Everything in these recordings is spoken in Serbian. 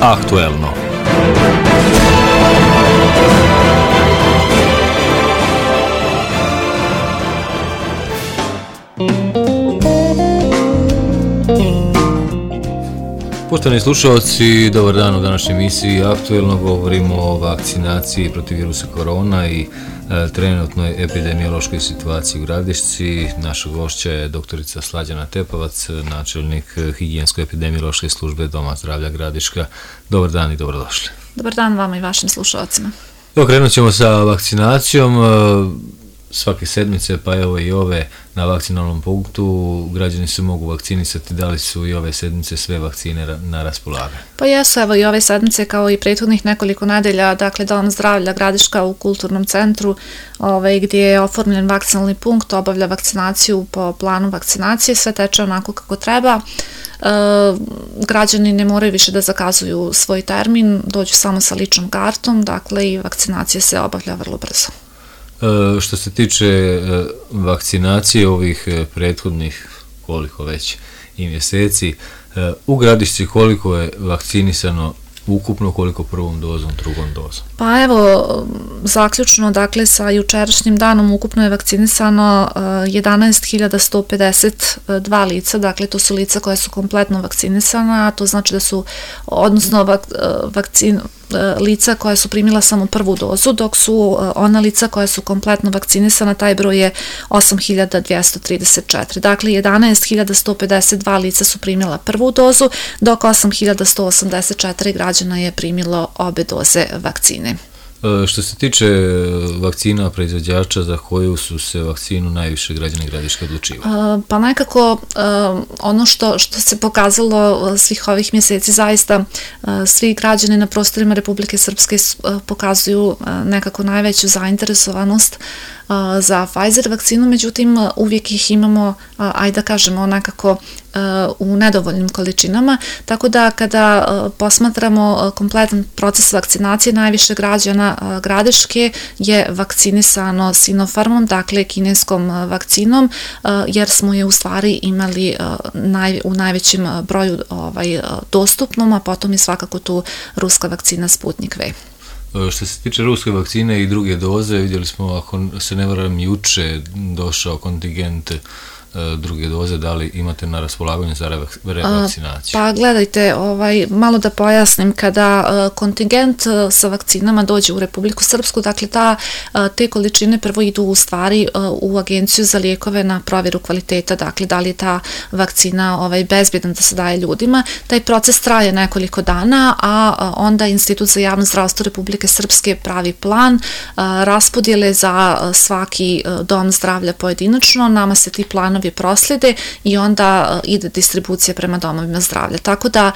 Aktuelno. Poštovani slušalci, dobar dan u današnjoj emisiji Aktuelno. Govorimo o vakcinaciji protiv virusa korona i trenutnoj epidemiološkoj situaciji u Gradišci. Naša gošća je doktorica Slađana Tepavac, načelnik higijensko-epidemiološke službe Doma zdravlja Gradiška. Dobar dan i dobrodošli. Dobar dan vama i vašim slušalcima. Krenut ćemo sa vakcinacijom. Svake sedmice, pa evo i ove na vakcinalnom punktu, građani se mogu vakcinisati. Da li su i ove sedmice sve vakcine na raspolaganju? Pa jesu, evo i ove sedmice kao i prethodnih nekoliko nedelja, dakle Dom zdravlja Gradiška u kulturnom centru gdje je oformljen vakcinalni punkt, obavlja vakcinaciju po planu vakcinacije, sve teče onako kako treba. Građani ne moraju više da zakazuju svoj termin, dođu samo sa ličnom kartom, dakle i vakcinacija se obavlja vrlo brzo. Što se tiče vakcinacije ovih prethodnih, koliko već i mjeseci, u Gradišci koliko je vakcinisano ukupno, koliko prvom dozom, drugom dozom? Pa evo, zaključno, dakle, sa jučerašnjim danom ukupno je vakcinisano 11.152 lica, dakle, to su lica koja su kompletno vakcinisana, to znači da su, odnosno, lica koja su primila samo prvu dozu, dok su ona lica koja su kompletno vakcinisana, taj broj je 8.234. Dakle, 11.152 lica su primila prvu dozu, dok 8.184 građana je primilo obe doze vakcine. Što se tiče vakcina proizvođača, za koju su se vakcinu najviše građani Gradiška odlučivali? Pa nekako ono što se pokazalo svih ovih mjeseci, zaista svi građani na prostorima Republike Srpske pokazuju nekako najveću zainteresovanost za Pfizer vakcinu, međutim uvijek ih imamo, ajde da kažemo, nekako u nedovoljnim količinama, tako da kada posmatramo kompletan proces vakcinacije, najviše građana Gradiške je vakcinisano Sinopharmom, dakle kineskom vakcinom, jer smo je u stvari imali u najvećem broju dostupnom, a potom je svakako tu ruska vakcina Sputnik V. Što se tiče ruske vakcine i druge doze, vidjeli smo, ako se ne varam, juče došao kontingent druge doze. Da li imate na raspolaganju za revakcinaciju? Pa gledajte, malo da pojasnim, kada kontingent sa vakcinama dođe u Republiku Srpsku, dakle te količine prvo idu u stvari u Agenciju za lijekove na provjeru kvaliteta, dakle da li je ta vakcina bezbjedna da se daje ljudima. Taj proces traje nekoliko dana, a onda Institut za javno zdravstvo Republike Srpske pravi plan raspodjele za svaki dom zdravlja pojedinačno, nama se ti planovi proslijede i onda ide distribucija prema domovima zdravlja. Tako da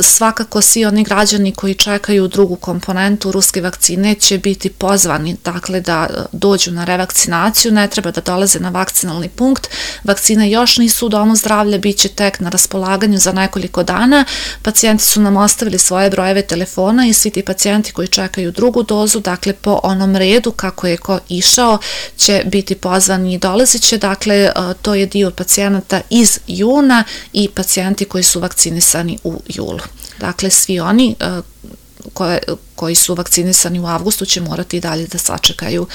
svakako svi oni građani koji čekaju drugu komponentu ruske vakcine će biti pozvani, dakle, da dođu na revakcinaciju, ne treba da dolaze na vakcinalni punkt. Vakcine još nisu u domu zdravlja, bit će tek na raspolaganju za nekoliko dana. Pacijenti su nam ostavili svoje brojeve telefona i svi ti pacijenti koji čekaju drugu dozu, dakle, po onom redu kako je ko išao, će biti pozvani i dolazit će. Dakle, to je dio pacijenata iz juna i pacijenti koji su vakcinisani u julu. Dakle, svi oni koji su vakcinisani u avgustu će morati i dalje da sačekaju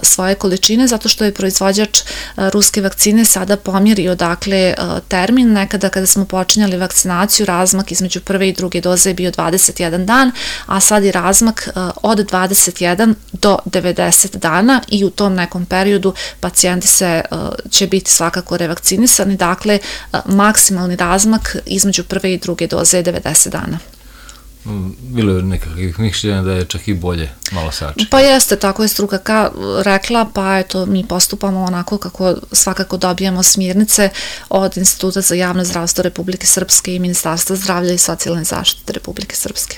svoje količine, zato što je proizvođač ruske vakcine sada pomjerio, dakle, termin. Nekada kada smo počinjali vakcinaciju, razmak između prve i druge doze je bio 21 dan, a sad je razmak od 21 do 90 dana i u tom nekom periodu pacijenti će biti svakako revakcinisani, dakle, maksimalni razmak između prve i druge doze je 90 dana. Bilo je nekakvih mišljenja da je čak i bolje malo sačekati. Pa jeste, tako je struka rekla, pa eto, mi postupamo onako kako svakako dobijemo smjernice od Instituta za javno zdravstvo Republike Srpske i Ministarstva zdravlja i socijalne zaštite Republike Srpske.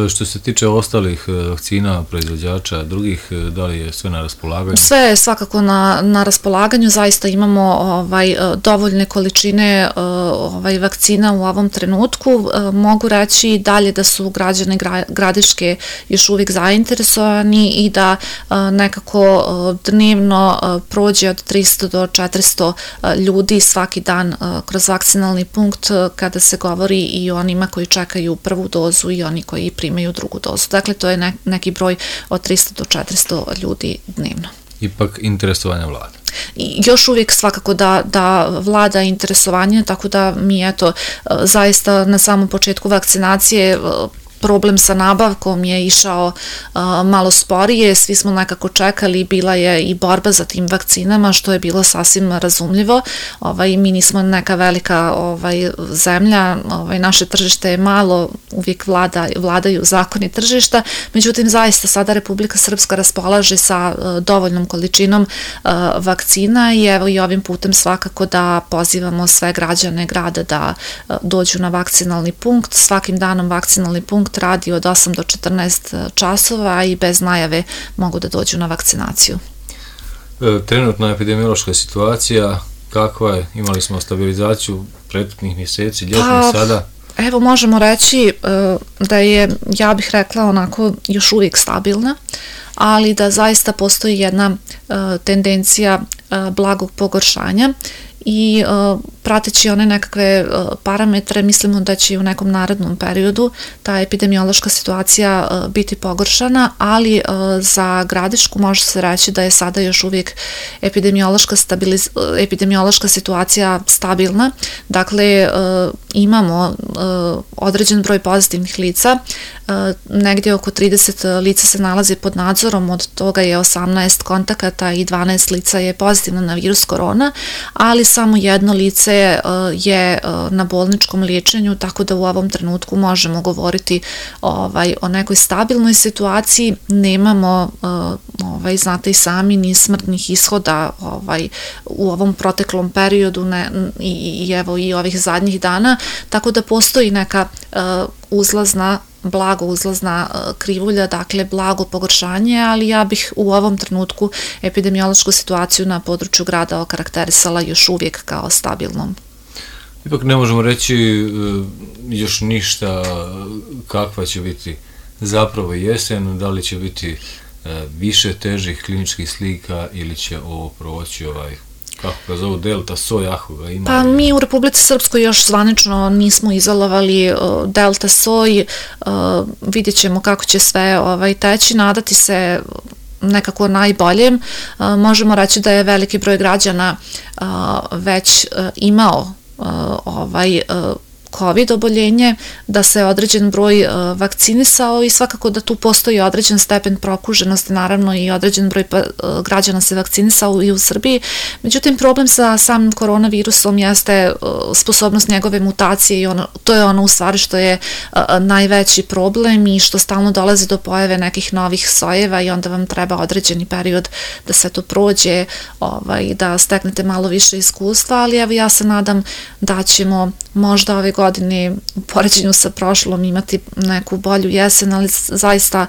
Što se tiče ostalih vakcina, proizvođača, drugih, da li je sve na raspolaganju? Sve je svakako na raspolaganju, zaista imamo dovoljne količine vakcina u ovom trenutku. Mogu reći dalje da su građani Gradiške još uvijek zainteresovani i da nekako dnevno prođe od 300 do 400 ljudi svaki dan kroz vakcinalni punkt kada se govori i o onima koji čekaju prvu dozu i oni koji primaju drugu dozu. Dakle, to je neki broj od 300 do 400 ljudi dnevno. Ipak interesovanja vlada. I još uvijek svakako da vlada interesovanje, tako da mi zaista na samom početku vakcinacije problem sa nabavkom je išao malo sporije, svi smo nekako čekali, bila je i borba za tim vakcinama, što je bilo sasvim razumljivo. Mi nismo neka velika zemlja, naše tržište je malo, uvijek vladaju zakoni tržišta, međutim zaista sada Republika Srpska raspolaže sa dovoljnom količinom vakcina i evo i ovim putem svakako da pozivamo sve građane grada da dođu na vakcinalni punkt. Svakim danom vakcinalni punkt radi od 8 do 14 časova i bez najave mogu da dođu na vakcinaciju. Trenutna epidemiološka situacija, kakva je? Imali smo stabilizaciju prethodnih mjeseci, ljetnih sada? Evo, možemo reći da je, ja bih rekla, onako još uvijek stabilna, ali da zaista postoji jedna tendencija blagog pogoršanja i prateći one nekakve parametre, mislimo da će u nekom narednom periodu ta epidemiološka situacija biti pogoršana, ali za Gradišku može se reći da je sada još uvijek epidemiološka situacija stabilna. Dakle, imamo određen broj pozitivnih lica, negdje oko 30 lica se nalazi pod nadzorom, od toga je 18 kontakata i 12 lica je pozitivno na virus korona, ali samo jedno lice je na bolničkom liječenju, tako da u ovom trenutku možemo govoriti o nekoj stabilnoj situaciji. Nemamo, znate i sami, ni smrtnih ishoda u ovom proteklom periodu i evo i ovih zadnjih dana, tako da postoji neka blago uzlazna krivulja, dakle blago pogoršanje, ali ja bih u ovom trenutku epidemiološku situaciju na području grada okarakterisala još uvijek kao stabilnom. Ipak ne možemo reći još ništa kakva će biti zapravo jesen, da li će biti više težih kliničkih slika ili će ovo proći kako ga zovu, delta soj, ako ga ima? Pa mi u Republici Srpskoj još zvanično nismo izolovali delta soj, vidjet ćemo kako će sve teći, nadati se nekako najboljem. Možemo reći da je veliki broj građana već imao COVID oboljenje, da se određen broj vakcinisao i svakako da tu postoji određen stepen prokuženosti, naravno i određen broj građana se vakcinisao i u Srbiji. Međutim, problem sa samim koronavirusom jeste sposobnost njegove mutacije i to je ono u stvari što je najveći problem i što stalno dolazi do pojave nekih novih sojeva i onda vam treba određeni period da sve to prođe, da steknete malo više iskustva, ali evo ja se nadam da ćemo možda ove godine u poređenju sa prošlom imati neku bolju jesen, ali zaista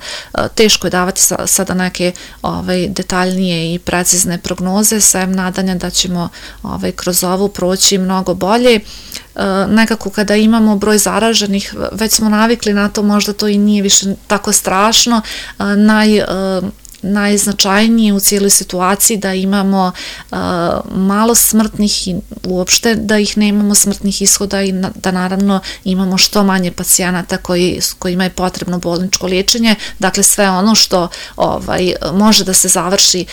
teško je davati sada neke detaljnije i precizne prognoze, sem nadanja da ćemo kroz ovo proći mnogo bolje. Nekako kada imamo broj zaraženih, već smo navikli na to, možda to i nije više tako strašno. Najznačajnije u cijeloj situaciji da imamo malo smrtnih i uopšte da ih nemamo smrtnih ishoda i da naravno imamo što manje pacijenata kojima je potrebno bolničko liječenje. Dakle, sve ono što može da se završi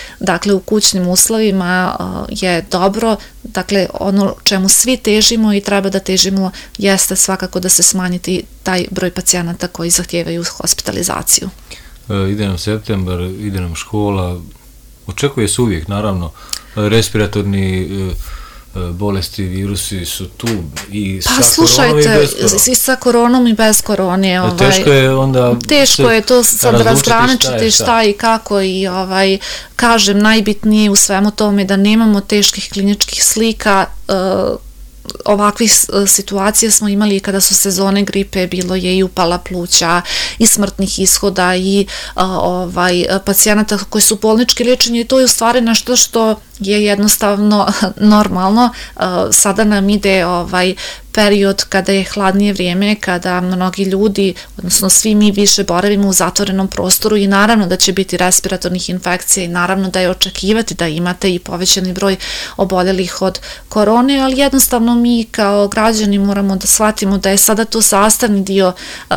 u kućnim uslovima je dobro. Dakle, ono čemu svi težimo i treba da težimo jeste svakako da se smanjiti taj broj pacijenata koji zahtijevaju hospitalizaciju. Ide nam septembar, ide nam škola, očekuje se uvijek, naravno, respiratorni bolesti, virusi su tu i sa koronom i bez korona. I sa koronom i bez korone. Teško je onda... Teško je to sad razgraničiti šta i kako i kažem, najbitnije u svemu tome da nemamo teških kliničkih slika, ovakvih situacija smo imali kada su sezone gripe, bilo je i upala pluća i smrtnih ishoda i pacijenata koji su bolnički liječeni i to je u stvari nešto što je jednostavno normalno. Sada nam ide period kada je hladnije vrijeme, kada mnogi ljudi, odnosno svi mi više boravimo u zatvorenom prostoru i naravno da će biti respiratornih infekcija i naravno da je očekivati da imate i povećani broj oboljelih od korone, ali jednostavno mi kao građani moramo da shvatimo da je sada to sastavni dio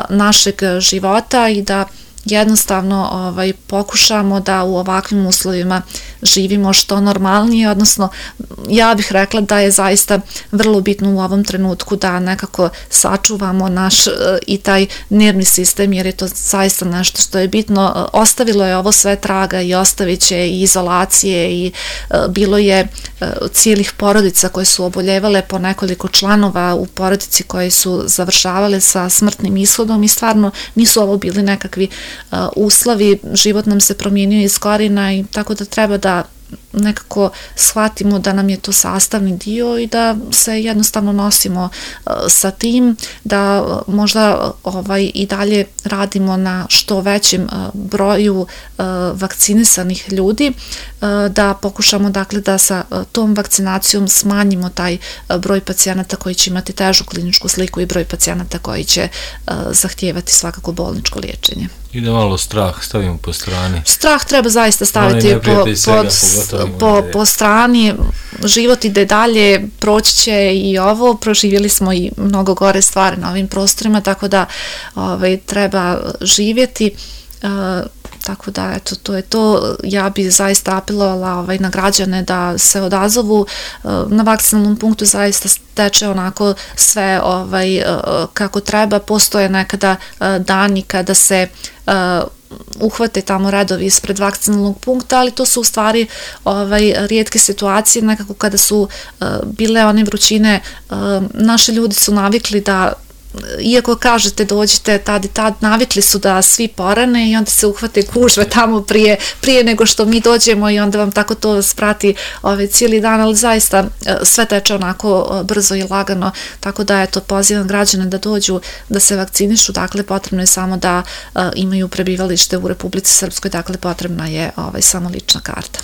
našeg života i da jednostavno pokušamo da u ovakvim uslovima živimo što normalnije, odnosno ja bih rekla da je zaista vrlo bitno u ovom trenutku da nekako sačuvamo naš i taj nervni sistem, jer je to zaista nešto što je bitno. Ostavilo je ovo sve traga i ostavit će i izolacije i bilo je cijelih porodica koje su oboljevale, po nekoliko članova u porodici koji su završavale sa smrtnim ishodom i stvarno nisu ovo bili nekakvi uslovi, život nam se promijenio iz korijena i tako da treba da nekako shvatimo da nam je to sastavni dio i da se jednostavno nosimo sa tim, da možda i dalje radimo na što većem broju vakcinisanih ljudi, da pokušamo dakle da sa tom vakcinacijom smanjimo taj broj pacijenata koji će imati težu kliničku sliku i broj pacijenata koji će zahtijevati svakako bolničko liječenje. I da malo strah stavimo po strani. Strah treba zaista staviti po strani, život ide dalje, proći će i ovo, proživjeli smo i mnogo gore stvari na ovim prostorima, tako da treba živjeti, tako da eto, to je to. Ja bi zaista apelovala na građane da se odazovu, na vakcinalnom punktu zaista teče onako sve kako treba, postoje nekada dani kada se uhvate tamo redovi ispred vakcinalnog punkta, ali to su u stvari rijetke situacije, nekako kada su bile one vrućine, naši ljudi su navikli da iako kažete dođite tad i tad, navikli su da svi porane i onda se uhvate gužve tamo prije nego što mi dođemo i onda vam tako to sprati cijeli dan, ali zaista sve teče onako brzo i lagano, tako da eto, pozivam građane da dođu da se vakcinišu, dakle potrebno je samo da imaju prebivalište u Republici Srpskoj, dakle potrebna je samo lična karta.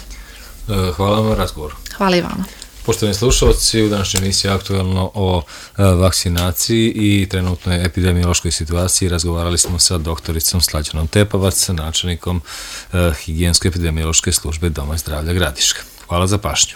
Hvala vam na razgovoru. Hvala i vama. Poštovani slušalci, u današnjoj emisiji aktualno o vakcinaciji i trenutnoj epidemiološkoj situaciji razgovarali smo sa doktoricom Slađanom Tepavac, načelnikom higijensko-epidemiološke službe Doma zdravlja Gradiška. Hvala za pažnju.